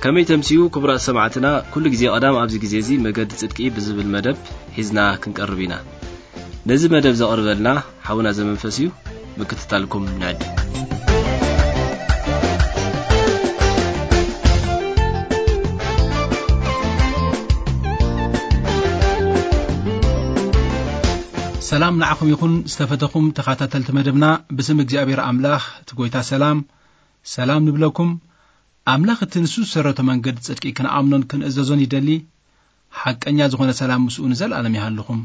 ከመይ ተምስዩ ክቡራት ሰማዕትና፣ ኩሉ ግዜ ቀዳም ኣብዚ ግዜ እዚ መገዲ ጽድቂ ብዝብል መደብ ሒዝና ክንቀርብ ኢና። ነዚ መደብ ዘቕርበልና ሓውና ዘመንፈስ እዩ። ምክትታልኩም ንዕድም። ሰላም ንዓኹም ይኹን ዝተፈተኹም ተኸታተልቲ መደብና። ብስም እግዚኣብሔር ኣምላኽ እቲ ጎይታ ሰላም፣ ሰላም ንብለኩም። ኣምላኽ እቲ ንሱ ዝሰረቶ መንገዲ ጽድቂ ክንኣምኖን ክንእዘዞን ይደሊ። ሓቀኛ ዝኾነ ሰላም ምስኡ ንዘለኣለም ይሃልኹም።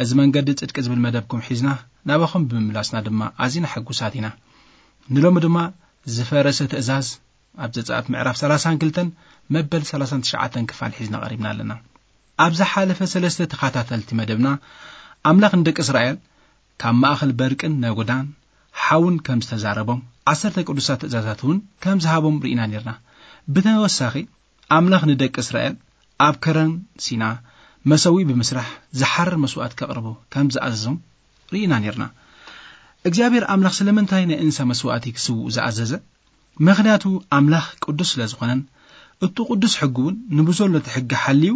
እዚ መንገዲ ጽድቂ ዝብል መደብኩም ሒዝና ናባኹም ብምምላስና ድማ ኣዚና ሕጉሳት ኢና። ንሎሚ ድማ ዝፈረሰ ትእዛዝ ኣብ ዘጸኣት ምዕራፍ ሰላሳን ክልተን መበል ሰላሳን ትሽዓተን ክፋል ሒዝና ቀሪብና ኣለና። ኣብ ዝሓለፈ ሰለስተ ተኸታተልቲ መደብና ኣምላኽ ንደቂ እስራኤል ካብ ማእኸል በርቅን ነጎዳን ሓውን ከም ዝተዛረቦም፣ ዓሰርተ ቅዱሳት ትእዛዛት እውን ከም ዝሃቦም ርኢና ነርና። ብተወሳኺ ኣምላኽ ንደቂ እስራኤል ኣብ ከረን ሲና መሰውኢ ብምስራሕ ዝሓርር መስዋእቲ ከቕርቡ ከም ዝኣዘዞም ርኢና ነርና። እግዚኣብሔር ኣምላኽ ስለምንታይ ናይ እንስሳ መስዋእቲ ክስውኡ ዝኣዘዘ? ምኽንያቱ ኣምላኽ ቅዱስ ስለ ዝኾነን፣ እቱ ቅዱስ ሕጊ እውን ንብዘሎ እቲ ሕጊ ሓልዩ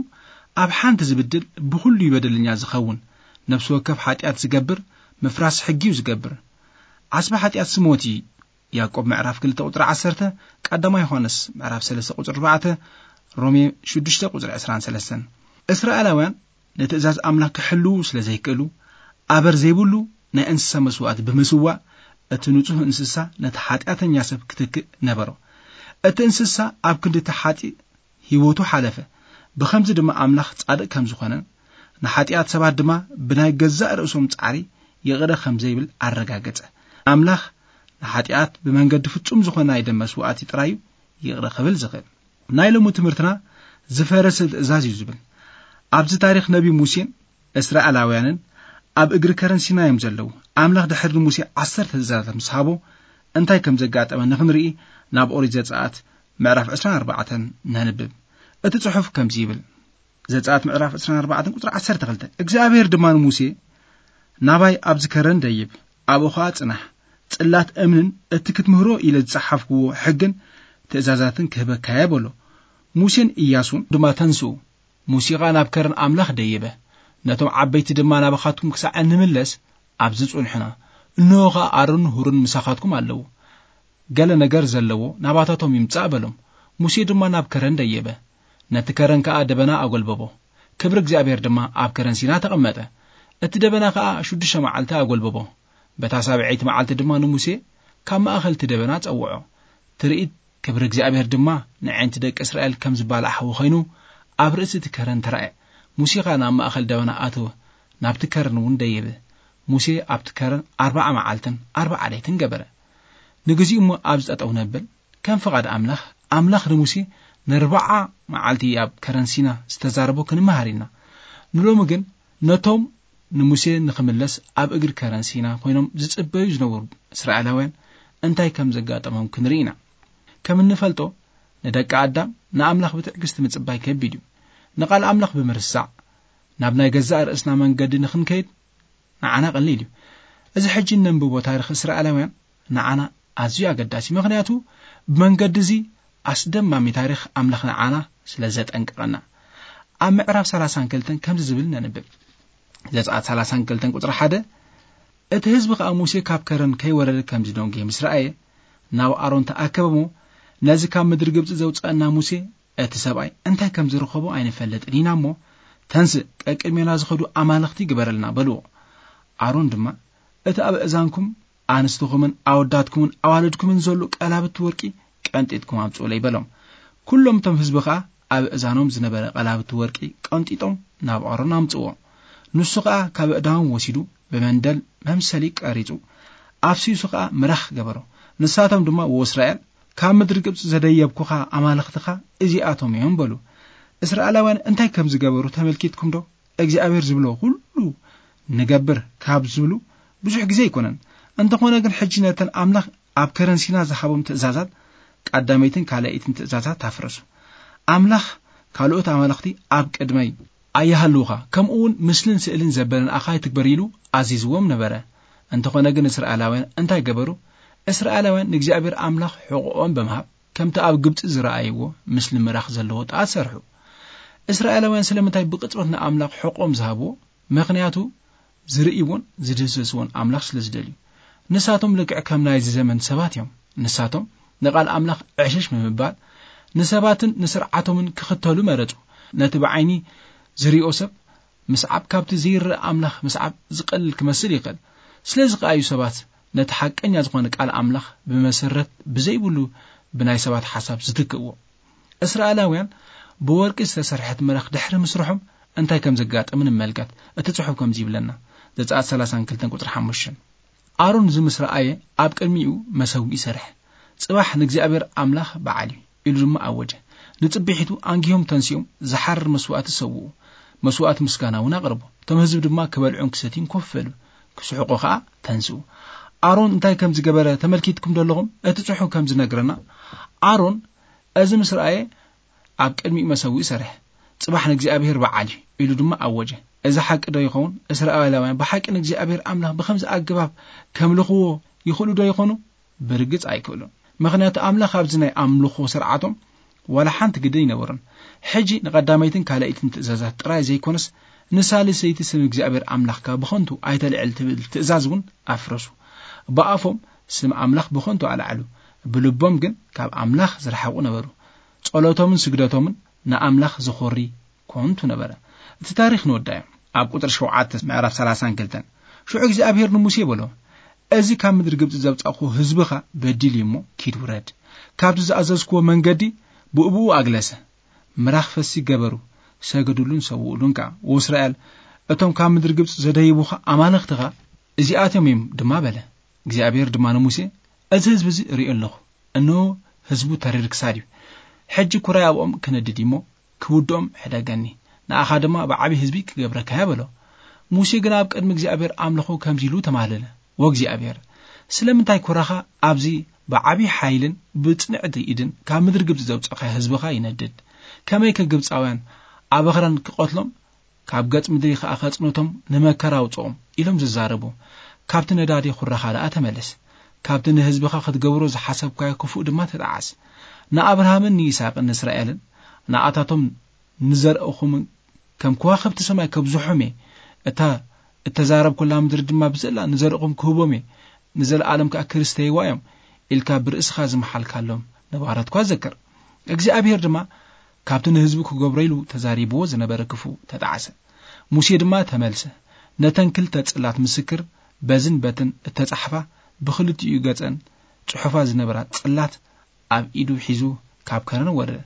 ኣብ ሓንቲ ዝብድል ብኹሉ እዩ በደለኛ ዝኸውን። ነፍሲ ወከፍ ሓጢኣት ዝገብር ምፍራስ ሕጊ እዩ ዝገብር። ዓስቢ ሓጢኣት ስሞት እዩ። ያዕቆብ ምዕራፍ ክልተ ቁጽሪ ዓሰርተ፣ ቀዳማይ ዮሃንስ ምዕራፍ ሰለስተ ቁጽሪ ኣርባዕተ፣ ሮሜ ሽዱሽተ ቁጽሪ ዕስራን ሰለስተን። እስራኤላውያን ንትእዛዝ ኣምላኽ ክሕልዉ ስለ ዘይክእሉ፣ ኣበር ዘይብሉ ናይ እንስሳ መስዋእቲ ብምስዋእ እቲ ንጹህ እንስሳ ነቲ ሓጢኣተኛ ሰብ ክትክእ ነበሮ። እቲ እንስሳ ኣብ ክንዲ እቲ ሓጢእ ህይወቱ ሓለፈ። ብኸምዚ ድማ ኣምላኽ ጻድቕ ከም ዝኾነን ንሓጢኣት ሰባት ድማ ብናይ ገዛእ ርእሶም ጻዕሪ ይቕረ ከም ዘይብል ኣረጋገጸ። ኣምላኽ ንሓጢኣት ብመንገዲ ፍጹም ዝኾነ ናይ ደም መስዋእቲ ጥራይ እዩ ይቕረ ክብል ዝኽእል። ናይ ሎሚ ትምህርትና ዝፈረሰ ትእዛዝ እዩ ዝብል። ኣብዚ ታሪኽ ነቢ ሙሴን እስራኤላውያንን ኣብ እግሪ ከረን ሲና እዮም ዘለዉ። ኣምላኽ ድሕሪ ንሙሴ ዓሰርተ ትእዛዛት ምስ ሃቦ እንታይ ከም ዘጋጠመ ንኽንርኢ ናብ ኦሪት ዘጸኣት ምዕራፍ ዕስራን ኣርባዕተን ነንብብ። እቲ ጽሑፍ ከምዚ ይብል። ዘጸኣት ምዕራፍ ዕስራን ኣርባዕተን ቁጽሪ ዓሰርተ ክልተ፣ እግዚኣብሔር ድማ ንሙሴ፣ "ናባይ ኣብዚ ከረን ደይብ፣ ኣብኡ ኸኣ ጽናሕ፣ ጽላት እምንን እቲ ክትምህሮ ኢለ ዝጸሓፍክዎ ሕግን ትእዛዛትን ክህበካየ" በሎ። ሙሴን ኢያሱን ድማ ተንስኡ። ሙሴ ኸኣ ናብ ከረን ኣምላኽ ደየበ። ነቶም ዓበይቲ ድማ፣ "ናባኻትኩም ክሳዕ እንምለስ ኣብዚ ጽንሑና። እንሆ ኸኣ ኣሮንን ሁርን ምሳኻትኩም ኣለዉ። ገለ ነገር ዘለዎ ናባታቶም ይምጻእ" በሎም። ሙሴ ድማ ናብ ከረን ደየበ። ነቲ ከረን ከኣ ደበና ኣጎልበቦ። ክብሪ እግዚኣብሔር ድማ ኣብ ከረን ሲና ተቐመጠ። እቲ ደበና ከኣ ሽዱሽተ መዓልቲ ኣጎልበቦ። በታ ሳብዐይቲ መዓልቲ ድማ ንሙሴ ካብ ማእኸል እቲ ደበና ጸውዖ። ትርኢት ክብሪ እግዚኣብሔር ድማ ንዓይንቲ ደቂ እስራኤል ከም ዝባላዕ ሓዊ ኾይኑ ኣብ ርእሲ እቲ ከረን ተራእየ። ሙሴ ኸኣ ናብ ማእኸል ደበና ኣተወ፣ ናብቲ ከረን እውን ደየበ። ሙሴ ኣብቲ ከረን ኣርብዓ መዓልትን ኣርብዓ ለይትን ገበረ። ንግዚኡ እሞ ኣብዚ ጠጠው ነብል። ከም ፍቓድ ኣምላኽ፣ ኣምላኽ ንሙሴ ንኣርብዓ መዓልቲ ኣብ ከረን ሲና ዝተዛረቦ ክንመሃር ኢና። ንሎሚ ግን ነቶም ንሙሴ ንኽምለስ ኣብ እግሪ ከረን ሲና ኮይኖም ዝጽበዩ ዝነበሩ እስራኤላውያን እንታይ ከም ዘጋጠሞም ክንርኢ ኢና። ከም እንፈልጦ፣ ንደቂ ኣዳም ንኣምላኽ ብትዕግስቲ ምጽባይ ከቢድ እዩ። ንቓል ኣምላኽ ብምርሳዕ፣ ናብ ናይ ገዛእ ርእስና መንገዲ ንኽንከይድ ንዓና ቀሊል እዩ። እዚ ሕጂ እነንብቦ ታሪኽ እስራኤላውያን ንዓና ኣዝዩ ኣገዳሲ፣ ምኽንያቱ ብመንገዲ እዚ ኣስደማሚ ታሪኽ ኣምላኽ ንዓና ስለ ዘጠንቅቐና። ኣብ ምዕራፍ ሰላሳን ክልተን ከምዚ ዝብል ነንብብ። ዘጸኣት ሰላሳን ክልተን ቁጽሪ ሓደ፣ እቲ ህዝቢ ኸኣ ሙሴ ካብ ከረን ከይወረደ ከምዚ ደንጉየ ምስ ረኣየ፣ ናብ ኣሮን ተኣከበ እሞ፣ "ነዚ ካብ ምድሪ ግብጺ ዘውጸአና ሙሴ እቲ ሰብኣይ እንታይ ከም ዝረኸቦ ኣይንፈልጥን ኢና እሞ፣ ተንስእ፣ ቀቅድሜና ዝኸዱ ኣማልኽቲ ግበረልና" በልዎ። ኣሮን ድማ፣ "እቲ ኣብ እእዛንኩም ኣንስትኹምን ኣወዳትኩምን ኣዋልድኩምን ዘሎ ቀላብቲ ወርቂ ቀንጢጥኩም ኣምጽኡለይ" በሎም። ኩሎም እቶም ህዝቢ ኸኣ ኣብ እእዛኖም ዝነበረ ቀላብቲ ወርቂ ቀንጢጦም ናብ ኣሮን ኣምጽዎ። ንሱ ኸኣ ካብ ኣእዳዎም ወሲዱ ብመንደል መምሰሊ ቀሪጹ፣ ኣፍሲሱ ኸኣ ምራኽ ገበሮ። ንሳቶም ድማ፣ "ወእስራኤል፣ ካብ ምድሪ ግብጺ ዘደየብኩኻ ኣማልኽትኻ እዚኣቶም እዮም" በሉ። እስራኤላውያን እንታይ ከም ዝገበሩ ተመልኪትኩም ዶ? እግዚኣብሔር ዝብሎ ኩሉ ንገብር ካብ ዝብሉ ብዙሕ ግዜ ኣይኮነን። እንተኾነ ግን ሕጂ ነተን ኣምላኽ ኣብ ከረን ሲና ዝሃቦም ትእዛዛት፣ ቀዳመይትን ካልኣይትን ትእዛዛት ኣፍረሱ። ኣምላኽ፣ "ካልኦት ኣማልኽቲ ኣብ ቅድመይ ኣይሃልውኻ፣ ከምኡ እውን ምስልን ስእልን ዘበለን ኣኻ ኣይትግበር" ኢሉ ኣዚዝዎም ነበረ። እንተኾነ ግን እስራኤላውያን እንታይ ገበሩ? እስራኤላውያን ንእግዚኣብሔር ኣምላኽ ሕቖኦም ብምሃብ ከምቲ ኣብ ግብጺ ዝረኣይዎ ምስሊ ምራኽ ዘለዎ ጣት ሰርሑ። እስራኤላውያን ስለምንታይ ብቕጽበት ንኣምላኽ ሕቖም ዝሃብዎ? ምኽንያቱ ዝርእይዎን ዝድህሰስዎን ኣምላኽ ስለ ዝደልዩ። ንሳቶም ልክዕ ከም ናይዚ ዘመን ሰባት እዮም። ንሳቶም ንቓል ኣምላኽ ዕሽሽ ብምባል ንሰባትን ንስርዓቶምን ክኽተሉ መረጹ። ነቲ ብዓይኒ ዝሪኦ ሰብ ምስዓብ ካብቲ ዘይረኣ ኣምላኽ ምስዓብ ዝቐልል ክመስል ይኽእል። ስለዚ ከኣ እዩ ሰባት ነቲ ሓቀኛ ዝኾነ ቃል ኣምላኽ ብመሰረት ብዘይብሉ ብናይ ሰባት ሓሳብ ዝትክእዎ። እስራኤላውያን ብወርቂ ዝተሰርሐት ምራኽ ድሕሪ ምስርሖም እንታይ ከም ዘጋጠመ ንመልከት። እቲ ጽሑፍ ከምዚ ይብለና፣ ዘጸኣት ሰላሳን ክልተን ቁጽሪ ሓሙሽተ። ኣሮን እዚ ምስ ረኣየ ኣብ ቅድሚኡ መሰውኢ ሰርሐ። ጽባሕ ንእግዚኣብሔር ኣምላኽ በዓል እዩ ኢሉ ድማ ኣወጀ። ንጽብሒቱ ኣንጊሆም ተንሲኦም ዝሓርር መስዋእቲ ሰውኡ። መስዋእቲ ምስጋና እውን ኣቕርቡ። እቶም ህዝቢ ድማ ክበልዑን ክሰትዩን ኮፍ በሉ። ክስሕቁ ኸኣ ተንስኡ። ኣሮን እንታይ ከም ዝገበረ ተመልኪትኩም ደለኹም? እቲ ጽሑፍ ከም ዝነግረና ኣሮን እዚ ምስ ረኣየ ኣብ ቅድሚኡ መሰውኢ ሰርሐ። ጽባሕ ንእግዚኣብሔር በዓል እዩ ኢሉ ድማ ኣወጀ። እዚ ሓቂ ዶ ይኸውን? እስራኤላውያን ብሓቂ ንእግዚኣብሔር ኣምላኽ ብኸምዚ ኣገባብ ከምልኽዎ ይኽእሉ ዶ ይኾኑ? ብርግጽ ኣይክእሉን። ምኽንያቱ ኣምላኽ ኣብዚ ናይ ኣምልኾ ስርዓቶም ዋላ ሓንቲ ግደ ኣይነበሮን። ሕጂ ንቐዳመይትን ካልኣይትን ትእዛዛት ጥራይ ዘይኮነስ ንሳልሰይቲ ስም እግዚኣብሔር ኣምላኽካ ብኸንቱ ኣይተልዕል ትብል ትእዛዝ እውን ኣፍረሱ። ብኣፎም ስም ኣምላኽ ብኸንቱ ኣልዓሉ፣ ብልቦም ግን ካብ ኣምላኽ ዝረሓቑ ነበሩ። ጸሎቶምን ስግደቶምን ንኣምላኽ ዝኾሪ ኮንቱ ነበረ። እቲ ታሪኽ ንወዳዮ። ኣብ ቁጽሪ ሸውዓተ ምዕራፍ ሰላሳን ክልተን፣ ሽዑ እግዚኣብሔር ንሙሴ በሎ፣ እዚ ካብ ምድሪ ግብጺ ዘውጻእኩ ህዝብኻ በዲል እዩ እሞ ኪድ ውረድ። ካብቲ ዝኣዘዝክዎ መንገዲ ብእብኡ ኣግለሰ። ምራኽ ፈሲ ገበሩ፣ ሰገዱሉን ሰውኡሉን ከኣ። ወእስራኤል፣ እቶም ካብ ምድሪ ግብጺ ዘደይቡኻ ኣማልኽትኻ እዚኣቶም እዮም ድማ በለ። እግዚኣብሔር ድማ ንሙሴ፣ እዚ ህዝቢ እዚ እርእዮ ኣለኹ፣ እንሆ ህዝቡ ተሪር ክሳድ እዩ። ሕጂ ኩራይ ኣብኦም ክነድድ እሞ ክውድኦም ሕደገኒ፣ ንኣኻ ድማ ብዓቢ ህዝቢ ክገብረካ እየ በሎ። ሙሴ ግና ኣብ ቅድሚ እግዚኣብሔር ኣምልኾ ከምዚ ኢሉ ተማህለለ፣ ወእግዚኣብሔር፣ ስለምንታይ ኩራኻ ኣብዚ ብዓቢ ሓይልን ብጽንዕቲ ኢድን ካብ ምድሪ ግብጺ ዘውጻእካዮ ህዝብኻ ይነድድ? ከመይከ ግብጻውያን ኣብ ኣኽራን ክቐትሎም ካብ ገጽ ምድሪ ኸኣ ከጽንቶም ንመከራ ኣውጽኦም ኢሎም ዝዛረቡ። ካብቲ ነዳዲ ኹራኻ ደኣ ተመለስ። ካብቲ ንህዝብኻ ክትገብሮ ዝሓሰብካዮ ክፉእ ድማ ተጠዓስ። ንኣብርሃምን ንይስሐቅን ንእስራኤልን ንኣታቶም ንዘርእኹምን ከም ከዋኽብቲ ሰማይ ከብዝሖም እየ። እታ እተዛረብኩላ ምድሪ ድማ ብዘላ ንዘርእኹም ክህቦም እየ። ንዘለኣለም ከኣ ክርስተይዋ እዮም ኢልካ ብርእስኻ ዝመሓልካሎም ነባራትኳ ዘክር። እግዚኣብሔር ድማ ካብቲ ንህዝቡ ክገብሮ ኢሉ ተዛሪብዎ ዝነበረ ክፉእ ተጣዕሰ። ሙሴ ድማ ተመልሰ። ነተን ክልተ ጽላት ምስክር በዝን በትን እተጻሕፋ ብኽልቲኡ ገጸን ጽሑፋ ዝነበራ ጽላት ኣብ ኢዱ ሒዙ ካብ ከረን ወረደ።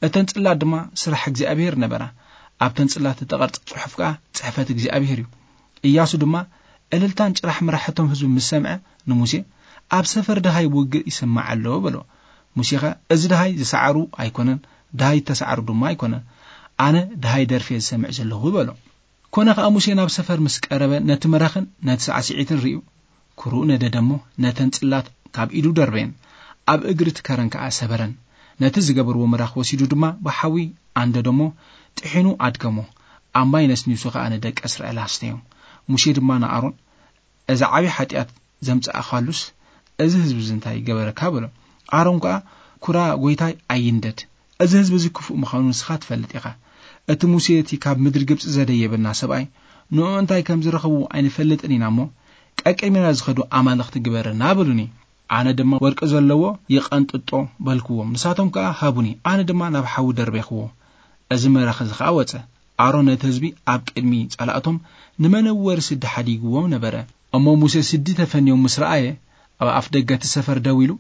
እተን ጽላት ድማ ስራሕ እግዚኣብሔር ነበራ። ኣብተን ጽላት እተቐርጸ ጽሑፍ ከኣ ጽሕፈት እግዚኣብሔር እዩ። ኢያሱ ድማ እልልታን ጭራሕ ምራሕቶም ህዝቢ ምስ ሰምዐ ንሙሴ፣ ኣብ ሰፈር ደሃይ ውግእ ይስማዕ ኣሎ በሎ። ሙሴኸ፣ እዚ ደሃይ ዝሰዓሩ ኣይኮነን፣ ደሃይ እተሰዓሩ ድማ ኣይኮነን። ኣነ ደሃይ ደርፌ ዝሰምዕ ዘለኹ በሎ። ኮነ ኸኣ ሙሴ ናብ ሰፈር ምስ ቀረበ ነቲ ምራኽን ነቲ ሳዕስዒትን ርእዩ፣ ኩርኡ ነደደ እሞ ነተን ጽላት ካብ ኢዱ ደርበየን፣ ኣብ እግሪ እቲ ከረን ከኣ ሰበረን። ነቲ ዝገበርዎ ምራኽ ወሲዱ ድማ ብሓዊ ኣንደዶ እሞ ጥሒኑ ኣድከሞ። ኣብ ማይ ነስኒሱ ኸኣ ንደቂ እስራኤል ኣስተዮም። ሙሴ ድማ ንኣሮን፣ እዚ ዓቢ ሓጢኣት ዘምጻእካሉስ፣ እዚ ህዝቢ እዚ እንታይ ገበረካ? በሎ። ኣሮን ከኣ፣ ኩራ ጐይታይ ኣይንደድ፣ እዚ ህዝቢ እዚ ክፉእ ምዃኑ ንስኻ ትፈልጥ ኢኻ። እቲ ሙሴ እቲ ካብ ምድሪ ግብጺ ዘደየበና ሰብኣይ፣ ንኡ እንታይ ከም ዝረኸቡ ኣይንፈልጥን ኢና እሞ፣ ቀቅድሜና ዝኸዱ ኣማልኽቲ ግበረና በሉኒ። ኣነ ድማ ወርቂ ዘለዎ ይቐንጥጦ በልክዎም፣ ንሳቶም ከኣ ሃቡኒ፣ ኣነ ድማ ናብ ሓዊ ደርቤኽዎ። እዚ ምራኽ እዚ ኸኣ ወጸ። ኣሮን ነቲ ህዝቢ ኣብ ቅድሚ ጸላእቶም ንመነወሪ ስዲ ሓዲግዎም ነበረ። እሞ ሙሴ ስዲ ተፈንዮም ምስ ረኣየ፣ ኣብ ኣፍ ደገ እቲ ሰፈር ደው ኢሉ፣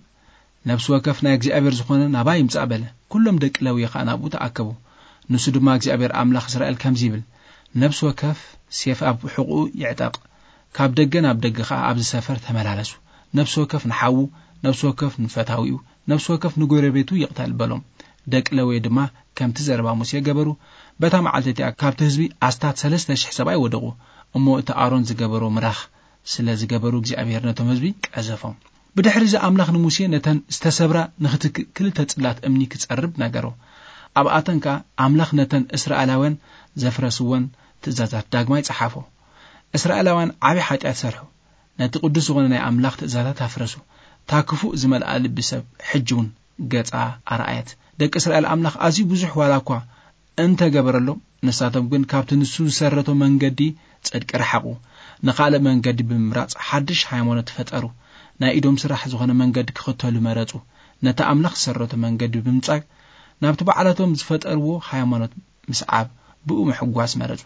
ነፍሲ ወከፍ ናይ እግዚኣብሔር ዝኾነ ናባይ ይምጻእ በለ። ኩሎም ደቂ ለዊ ኸኣ ናብኡ ተኣከቡ። ንሱ ድማ እግዚኣብሔር ኣምላኽ እስራኤል ከምዚ ይብል፣ ነፍሲ ወከፍ ሴፍ ኣብ ሕቑኡ ይዕጠቕ። ካብ ደገ ናብ ደገ ኸኣ ኣብዚ ሰፈር ተመላለሱ። ነፍሲ ወከፍ ንሓዉ፣ ነፍሲ ወከፍ ንፈታዊኡ፣ ነፍሲ ወከፍ ንጎረቤቱ ይቕተል በሎም። ደቂ ለዊ ድማ ከምቲ ዘረባ ሙሴ ገበሩ። በታ መዓልቲ እቲኣ ካብቲ ህዝቢ ኣስታት ሰለስተ ሽሕ ሰብኣይ ወደቑ። እሞ እቲ ኣሮን ዝገበሮ ምራኽ ስለ ዝገበሩ እግዚኣብሔር ነቶም ህዝቢ ቀዘፎም። ብድሕሪ እዚ ኣምላኽ ንሙሴ ነተን ዝተሰብራ ንኽትክእ ክልተ ጽላት እምኒ ክጸርብ ነገሮ። ኣብኣተን ከኣ ኣምላኽ ነተን እስራኤላውያን ዘፍረስወን ትእዛዛት ዳግማይ ጸሓፎ። እስራኤላውያን ዓቢ ሓጢኣት ሰርሑ። ነቲ ቅዱስ ዝኾነ ናይ ኣምላኽ ትእዛዛት ኣፍረሱ። እታ ክፉእ ዝመልኣ ልቢ ሰብ ሕጂ እውን ገጻ ኣርኣየት። ደቂ እስራኤል ኣምላኽ ኣዝዩ ብዙሕ ዋላ እኳ እንተገበረሎም፣ ንሳቶም ግን ካብቲ ንሱ ዝሰረቶ መንገዲ ጽድቂ ረሓቑ። ንኻልእ መንገዲ ብምምራጽ ሓድሽ ሃይማኖት ፈጠሩ። ናይ ኢዶም ስራሕ ዝኾነ መንገዲ ክኽተሉ መረጹ። ነቲ ኣምላኽ ዝሰረቶ መንገዲ ብምጻግ ናብቲ ባዕላቶም ዝፈጠርዎ ሃይማኖት ምስዓብ ብኡ ምሕጓስ መረጹ።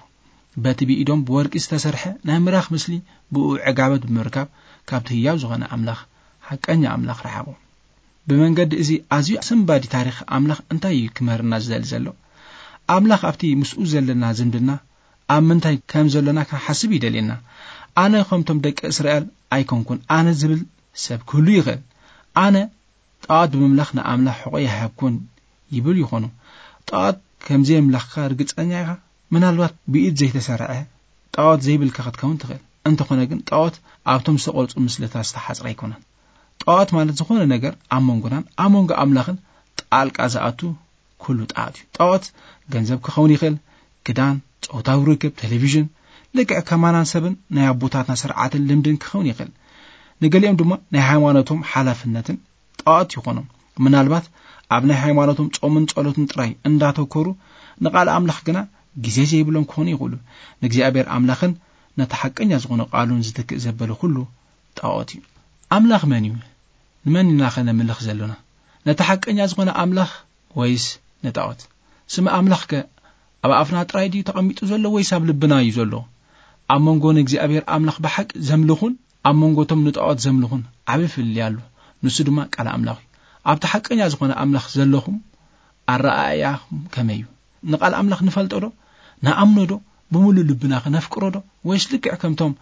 በቲ ብኢዶም ብወርቂ ዝተሰርሐ ናይ ምራኽ ምስሊ ብኡ ዕጋበት ብምርካብ ካብቲ ህያው ዝኾነ ኣምላኽ፣ ሓቀኛ ኣምላኽ ረሓቑ። ብመንገዲ እዚ ኣዝዩ ኣሰንባዲ ታሪኽ ኣምላኽ እንታይ እዩ ክምህርና ዝደሊ ዘሎ? ኣምላኽ ኣብቲ ምስኡ ዘለና ዝምድና ኣብ ምንታይ ከም ዘሎና ክንሓስብ ይደልየና። ኣነ ከምቶም ደቂ እስራኤል ኣይኮንኩን፣ ኣነ ዝብል ሰብ ክህሉ ይኽእል። ኣነ ጣዖት ብምምላኽ ንኣምላኽ ሕቖ ይሃብኩን ይብል ይኾኑ። ጣዖት ከም ዘየምላኽካ ርግጸኛ ኢኻ? ምናልባት ብኢድ ዘይተሰርዐ ጣዖት ዘይብልካ ክትከውን ትኽእል። እንተኾነ ግን ጣዖት ኣብቶም ዝተቐርጹ ምስልታት ዝተሓጽረ ኣይኮነን። ጣዖት ማለት ዝኾነ ነገር ኣብ መንጎናን ኣብ መንጎ ኣምላኽን ጣልቃ ዝኣቱ ኩሉ ጣዖት እዩ። ጣዖት ገንዘብ ክኸውን ይኽእል፣ ክዳን፣ ጾታዊ ርክብ፣ ቴሌቪዥን፣ ልክዕ ከማናን ሰብን ናይ ኣቦታትና ስርዓትን ልምድን ክኸውን ይኽእል። ንገሊኦም ድማ ናይ ሃይማኖቶም ሓላፍነትን ጣዖት ይኾኖም። ምናልባት ኣብ ናይ ሃይማኖቶም ጾምን ጸሎትን ጥራይ እንዳተኮሩ ንቃል ኣምላኽ ግና ግዜ ዘይብሎም ክኾኑ ይኽእሉ። ንእግዚኣብሔር ኣምላኽን ነቲ ሓቀኛ ዝኾነ ቃሉን ዝትክእ ዘበለ ኩሉ ጣዖት እዩ። ኣምላኽ መን እዩ? ንመን ኢና ኸ ነምልኽ ዘሎና? ነቲ ሓቀኛ ዝኾነ ኣምላኽ ወይስ ንጣዖት? ስም ኣምላኽ ከ ኣብ ኣፍና ጥራይ ድዩ ተቐሚጡ ዘሎ ወይስ ኣብ ልብና እዩ ዘሎ? ኣብ መንጎ ንእግዚኣብሔር ኣምላኽ ብሓቂ ዘምልኹን ኣብ መንጎ እቶም ንጣዖት ዘምልኹን ዓቢ ፍልልይ ኣሎ። ንሱ ድማ ቃል ኣምላኽ እዩ። ኣብቲ ሓቀኛ ዝኾነ ኣምላኽ ዘለኹም ኣረኣእያኹም ከመይ እዩ? ንቃል ኣምላኽ ንፈልጦ ዶ? ንኣምኖ ዶ? ብምሉእ ልብና ከነፍቅሮ ዶ? ወይስ ልክዕ ከምቶም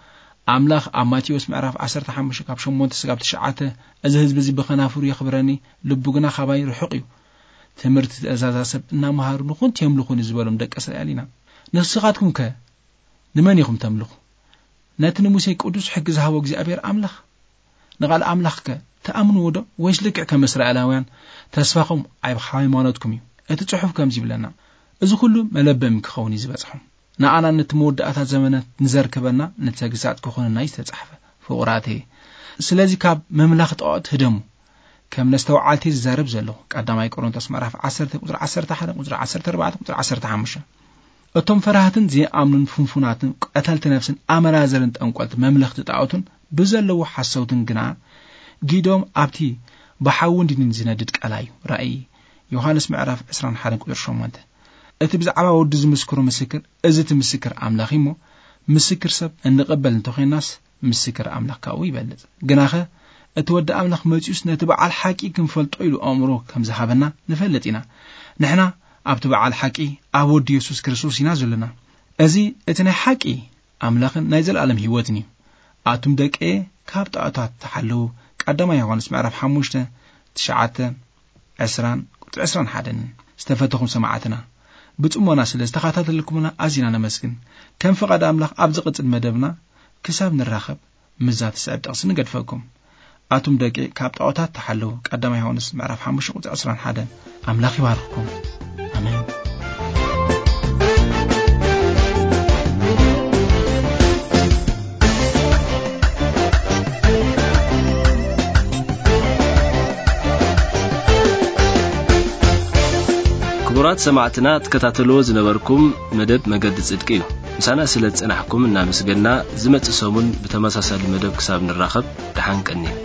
ኣምላኽ ኣብ ማቴዎስ ምዕራፍ ዓሰርተ ሓሙሽተ ካብ ሸሞንተ ስጋብ ትሽዓተ፣ "እዚ ህዝቢ እዚ ብኸናፍሩ የኽብረኒ፣ ልቡ ግና ካባይ ርሑቕ እዩ። ትምህርቲ ትእዛዛ ሰብ እናመሃሩ ንኹንቲ የምልኹኒ" ዝበሎም ደቂ እስራኤል ኢና። ንስኻትኩም ከ ንመን ኢኹም ተምልኹ? ነቲ ንሙሴ ቅዱስ ሕጊ ዝሃቦ እግዚኣብሔር ኣምላኽ? ንቓል ኣምላኽ ከ ትኣምንዎ ዶ? ወይስ ልክዕ ከም እስራኤላውያን ተስፋኹም ኣብ ሃይማኖትኩም እዩ? እቲ ጽሑፍ ከምዚ ይብለና፣ "እዚ ኩሉ መለበሚ ክኸውን እዩ ዝበጽሖም። ንኣና ነቲ መወዳእታ ዘመናት ንዘርክበና ነቲ ተግሳጽ ክኾነና እዩ ዝተጻሕፈ፣ ፍቑራተየ። ስለዚ ካብ መምላኽ ጣዖት ህደሙ። ከም ነስተውዓልቲ ዝዛረብ ዘለኹ" ቀዳማይ ቆሮንቶስ ምዕራፍ ዓሰርተ ቁጽሪ ዓሰርተ ሓደ፣ ቁጽሪ ዓሰርተ ኣርባዕተ፣ ቁጽሪ ዓሰርተ ሓሙሽተ። እቶም ፈራህትን ዘይኣምኑን ፍንፉናትን ቀተልቲ ነፍስን ኣመራዘርን ጠንቆልቲ መምለኽቲ ጣዖትን ብዘለዎ ሓሰውትን ግና ጊዶም ኣብቲ ብሓውን ዲንን ዝነድድ ቀላይ እዩ። ራእይ ዮሃንስ ምዕራፍ ዕስራን ሓደን ቁጽሪ ሸሞንተ። እቲ ብዛዕባ ወዲ ዝምስክሮ ምስክር፣ እዚ እቲ ምስክር ኣምላኽ እዩ እሞ፣ ምስክር ሰብ እንቕበል እንተኾይናስ፣ ምስክር ኣምላኽ ካብኡ ይበልጽ። ግናኸ እቲ ወዲ ኣምላኽ መጺኡስ ነቲ በዓል ሓቂ ክንፈልጦ ኢሉ ኣእምሮ ከም ዝሃበና ንፈልጥ ኢና። ንሕና ኣብቲ በዓል ሓቂ ኣብ ወዲ የሱስ ክርስቶስ ኢና ዘለና። እዚ እቲ ናይ ሓቂ ኣምላኽን ናይ ዘለኣለም ህይወትን እዩ። ኣቱም ደቀየ፣ ካብ ጣዖታት ተሓለዉ። ቀዳማይ ዮሃንስ ምዕራፍ ሓሙሽተ፣ ትሽዓተ፣ ዕስራን ቁጽሪ ዕስራን ሓደን። ዝተፈተኹም ሰማዕትና፣ ብጽሞና ስለ ዝተኸታተልኩምና ኣዚና ነመስግን። ከም ፍቓድ ኣምላኽ ኣብ ዝቕጽል መደብና ክሳብ ንራኸብ ምስዛ ትስዕብ ጥቕሲ ንገድፈኩም። ኣቱም ደቂ ካብ ጣዖታት ተሓለዉ። ቀዳማይ ዮሃንስ ምዕራፍ ሓሙሽተ ቁጽሪ ዕስራን ሓደን። ኣምላኽ ይባርኽኩም። ኣሜን። ክቡራት ሰማዕትና፣ ትከታተልዎ ዝነበርኩም መደብ መገዲ ጽድቂ እዩ። ምሳና ስለ ዝጸናሕኩም እናመስገና፣ ዝመጽእ ሰሙን ብተመሳሳሊ መደብ ክሳብ ንራኸብ፣ ደሓን ቀንዩ።